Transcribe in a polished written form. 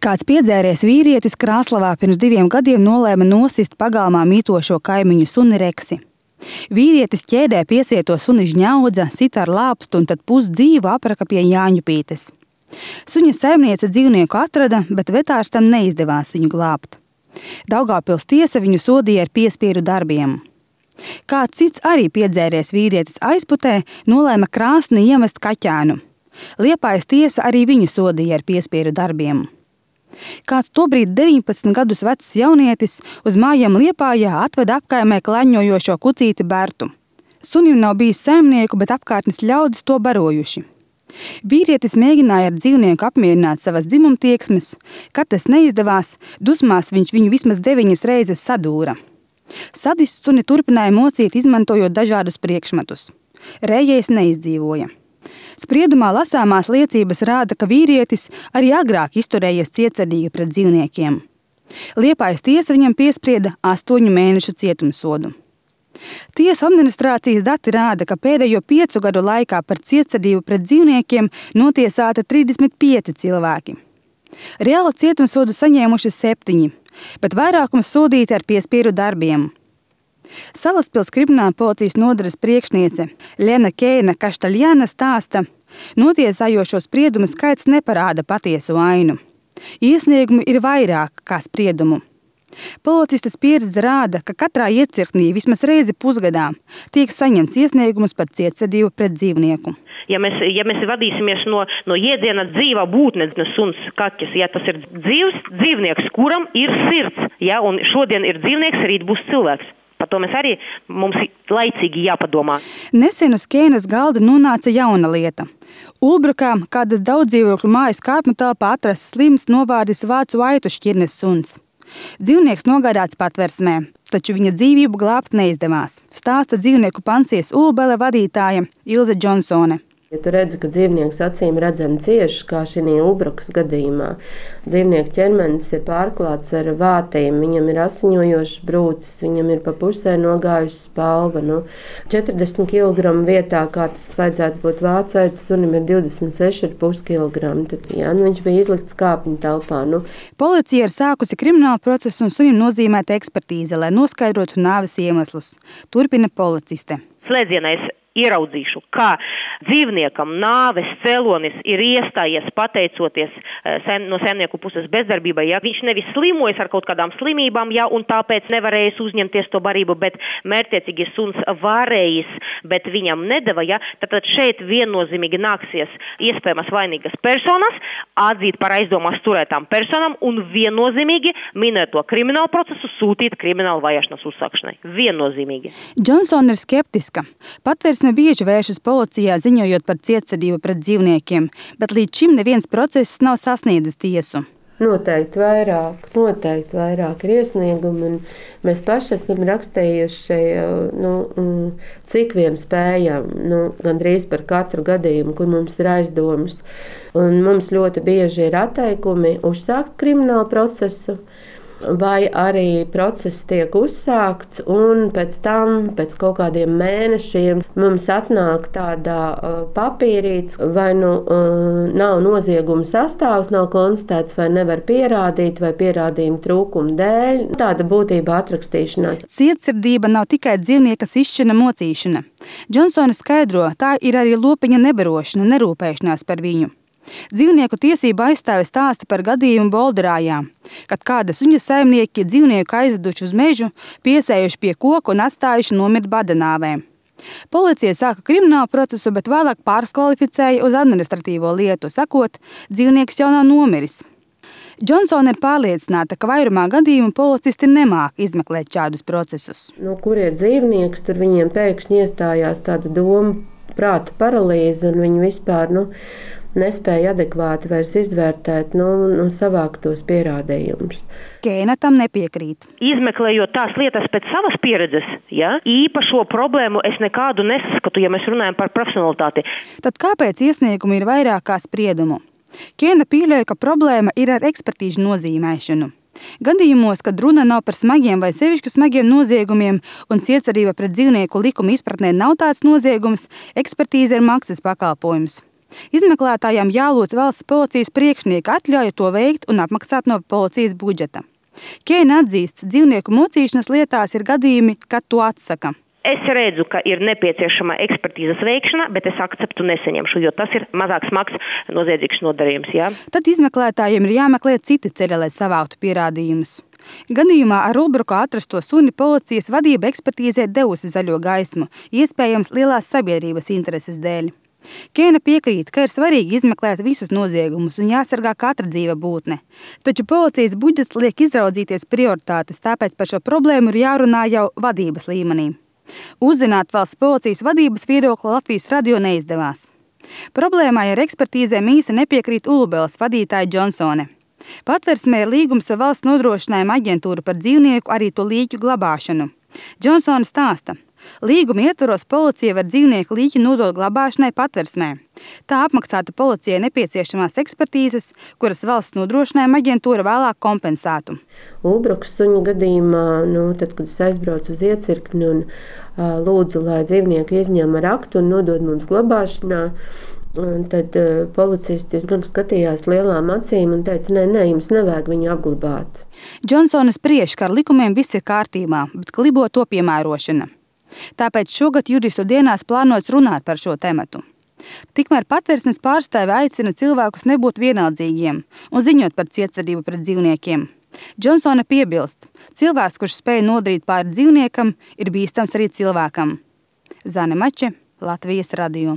Kāds piedzēries vīrietis Krāslavā pirms 2 gadiem nolēma nosist pagalmā mītošo kaimiņu suni Reksi. Vīrietis ķēdē piesieto suni žņaudza, sita ar lāpstu un tad pusdzīvu apraka pie Jāņupītes. Suņa saimniece dzīvnieku atrada, bet vetārstam neizdevās viņu glābt. Daugavpils tiesa viņu sodīja ar piespiedu darbiem. Kāds cits arī piedzēries vīrietis aizputē nolēma krāsni iemest kaķēnu. Liepājas tiesa arī viņu sodīja ar piespiedu darbiem. Kāds tobrīd 19 gadus vecs jaunietis uz mājām Liepājā atveda apkaimē klaņojošo kucīti Bertu. Sunim nav bijis saimnieku, bet apkārtnes ļaudis to barojuši. Vīrietis mēģināja ar dzīvnieku apmierināt savas dzimumtieksmes. Kad tas neizdevās, dusmās viņš viņu vismaz 9 reizes sadūra. Sadists suni turpināja mocīt, izmantojot dažādus priekšmetus. Rējējs neizdzīvoja. Spriedumā lasāmās liecības rāda, ka vīrietis arī agrāk izturējies cietsirdīgi pret dzīvniekiem. Liepājas tiesa viņam piesprieda 8 mēnešu cietumsodu. Tiesu administrācijas dati rāda, ka pēdējo 5 gadu laikā par cietsirdību pret dzīvniekiem notiesāta 35 cilvēki. Reāli cietumsodu saņēmuši 7, bet vairākums sodīti ar piespiedu darbiem. Salaspils krimināla policijas nodaļas priekšniece Lena Keina Kaštaļjana stāsta, notiesājošo spriedumu skaits neparāda patiesu ainu. Iesniegumi ir vairāk kā spriedumu. Policistes pieredze rāda, ka katrā iecirknī vismaz reizi pusgadā tiek saņemts iesniegums par cietsirdību pret dzīvnieku. Ja mēs vadīsimies no jēdziena dzīvā būtne, suns, kaķis, ja tas ir dzīvnieks, kuram ir sirds, ja, un šodien ir dzīvnieks, rīt būs cilvēks. Par to mums laicīgi jāpadomā. Nesen uz Keinas galda nonāca jauna lieta. Ulbrukā kādas daudzdzīvokļu mājas kāpņu telpā atrasts slims novārdis vācu aitu šķirnes suns. Dzīvnieks nogādāts patversmē, taču viņa dzīvību glābt neizdevās, stāsta dzīvnieku pansijas Ulbele vadītāja Ilze Džonsone. Ja tu redzi, ka dzīvnieks acīm redzami cieši, kā šī Ulbrukas gadījumā, dzīvnieku ķermenis ir pārklāts ar vātīm, viņam ir asiņojošs brūcis, viņam ir pa pusē nogājusi spalva. 40 kg vietā, kā tas vajadzētu būt vācaitas, sunim ir 26,5 kg. Tad, viņš bija izlikts kāpņu telpā. Policija ir sākusi kriminālu procesu un sunim nozīmēta ekspertīze, lai noskaidrotu nāves iemeslus. Turpina policiste. Slēdzienā es ieraudzīšu, kā dzīvniekam nāves cēlonis ir iestājies pateicoties no saimnieku puses bezdarbībai. Ja? Viņš nevis slimojas ar kaut kādām slimībām, ja, un tāpēc nevarējis uzņemties to barību, bet mērķtiecīgi suns varējis, bet viņam nedeva. Ja? Tad šeit viennozīmīgi nāksies iespējamas vainīgas personas atzīt par aizdomās turētām personām un viennozīmīgi minēto kriminālu procesu sūtīt kriminālu vajāšanas uzsākšanai. Viennozīmīgi. Džonsona ir skeptiska. Patversme bieži vēršas policijā ziņojot par cietsirdību pret dzīvniekiem, bet līdz šim neviens process nav sasniedzis tiesu. Noteikti vairāk ir iesniegumi, un mēs paši esam rakstījuši, cik vien spējam, gandrīz par katru gadījumu, kur mums ir aizdomas. Un mums ļoti bieži ir atteikumi uzsākt kriminālu procesu, vai arī process tiek uzsākts, un pēc tam, pēc kaut kādiem mēnešiem, mums atnāk tādā papīrīts, vai nav nozieguma sastāvs, nav konstatēts, vai nevar pierādīt, vai pierādījuma trūkuma dēļ. Tāda būtībā atrakstīšanās. Cietsirdība nav tikai dzīvnieka sišķina mocīšana. Džonsona skaidro, tā ir arī lopiņa nebarošana, nerūpēšanās par viņu. Dzīvnieku tiesību aizstāve stāsta par gadījumu Bolderājā, kad kāda suņa saimnieki dzīvnieku aizveduši uz mežu, piesējuši pie koka un atstājuši nomirt badanāvē. Policija sāka kriminālu procesu, bet vēlāk pārkvalificēja uz administratīvo lietu, sakot, dzīvnieks jau nav nomiris. Džonsona ir pārliecināta, ka vairumā gadījumu policisti nemāk izmeklēt šādus procesus. Kur ir dzīvnieks, tur viņiem pēkšņi iestājās tāda doma, prāta paralīze, un viņi vispār, nespēja adekvāti vairs izvērtēt savākt tos pierādījumus. Keina tam nepiekrīt. Izmeklējot tās lietas pēc savas pieredzes, ja, īpašo problēmu es nekādu nesaskatu, ja mēs runājam par profesionalitāti. Tad kāpēc iesniegumi ir vairāk kā spriedumu? Keina pieļauj, ka problēma ir ar ekspertīžu nozīmēšanu. Gadījumos, kad runa nav par smagiem vai sevišķi smagiem noziegumiem un cietsirdība pret dzīvnieku likuma izpratnē nav tāds noziegums, ekspertīze ir maksas pakalpojums. Izmeklētājām jālūdz valsts policijas priekšnieka atļauja to veikt un apmaksāt no policijas budžeta. Keina atzīst, dzīvnieku mocīšanas lietās ir gadījumi, kad to atsaka. Es redzu, ka ir nepieciešama ekspertīzes veikšana, bet es akceptu nesaņemšu, jo tas ir mazāk smags noziedzīgs nodarījums. Ja? Tad izmeklētājiem ir jāmeklē citi ceļi, lai savāktu pierādījumus. Gadījumā ar Ulbruka atrasto suni policijas vadība ekspertīzē devusi zaļo gaismu, iespējams lielās sabiedrības intereses dēļ. Keina piekrīt, ka ir svarīgi izmeklēt visus noziegumus un jāsargā katra dzīva būtne. Taču policijas budžets liek izraudzīties prioritātes, tāpēc par šo problēmu ir jārunā jau vadības līmenī. Uzzināt valsts policijas vadības viedokli Latvijas radio neizdevās. Problēmai ar ekspertīzēm īsti nepiekrīt Ulubeles vadītāja Džonsone. Patversmē ir līgums ar valsts nodrošinājuma aģentūru par dzīvnieku arī to līķu glabāšanu. Džonsone stāsta, līguma ietvaros policija var dzīvnieku līķi nodot glabāšanai Patversmē. Tā apmaksāta policijai nepieciešamās ekspertīzes, kuras valsts nodrošinājuma aģentūra vēlāk kompensētu. Ulbruka suņa gadījumā, tad, kad es aizbraucu uz iecirkni un lūdzu, lai dzīvnieku izņem ar aktu un nodod mums glabāšanā, tad policisti gan skatījās lielām acīm un teica, nē, jums nevajag viņu apglabāt. Džonsone spriež, ka ar likumiem viss ir kārtībā, bet klibo to piemērošana. Tāpēc šogad juristu dienās plānots runāt par šo tematu. Tikmēr Patversmes pārstāve aicina cilvēkus nebūt vienaldzīgiem un ziņot par cietsirdību pret dzīvniekiem. Džonsone piebilst, cilvēks, kurš spēj nodarīt pāri dzīvniekam, ir bīstams arī cilvēkam. Zane Mače, Latvijas radio.